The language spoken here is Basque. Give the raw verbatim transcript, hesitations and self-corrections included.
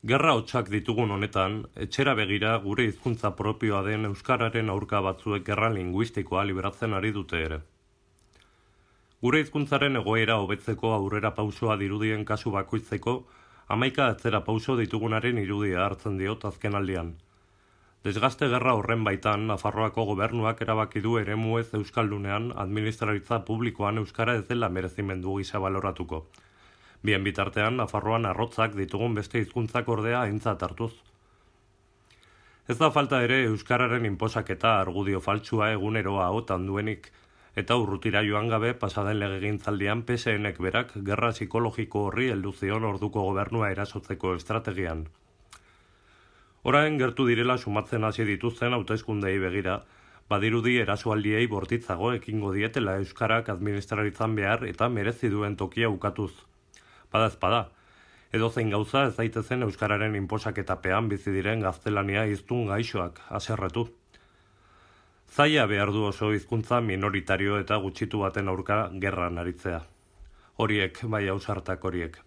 Gerra hotsak ditugun honetan, etxera begira gure hizkuntza propioa den euskararen aurka batzuek gerra linguistikoa liberatzen ari dute ere. Gure hizkuntzaren egoera hobetzeko aurrera pausoa dirudien kasu bakoitzeko, hamaika atzera pauso ditugunaren irudia hartzen diot azkenaldian. Desgaste gerra horren baitan, Nafarroako gobernuak erabaki du eremuez euskaldunean administraritza publikoan euskara ez dela merezimendu gisa baloratuko. Bien bitartean, Nafarroan arrotzak ditugun beste hizkuntzak ordea aintzat hartuz. Ez da falta ere euskararen inposaketa argudio faltsua eguneroa ahotan duenik, eta urrutira joan gabe pasaden legegintzaldian P S Nek berak gerra psikologiko horri heldu zion orduko gobernua erasotzeko estrategian. Orain gertu direla sumatzen hasi dituzten hauteskundei begira, badirudi erasoaldiei bortitzago ekingo dietela euskarak administraritzan behar eta merezi duen tokia ukatuz. Bada ezpada, edozein gauza ez daitezen euskararen inposaketapean bizi diren gaztelania hiztun gaixoak haserretu. Zaila behar du oso hizkuntza minoritario eta gutxitu baten aurka gerran aritzea. Horiek, bai ausartak horiek.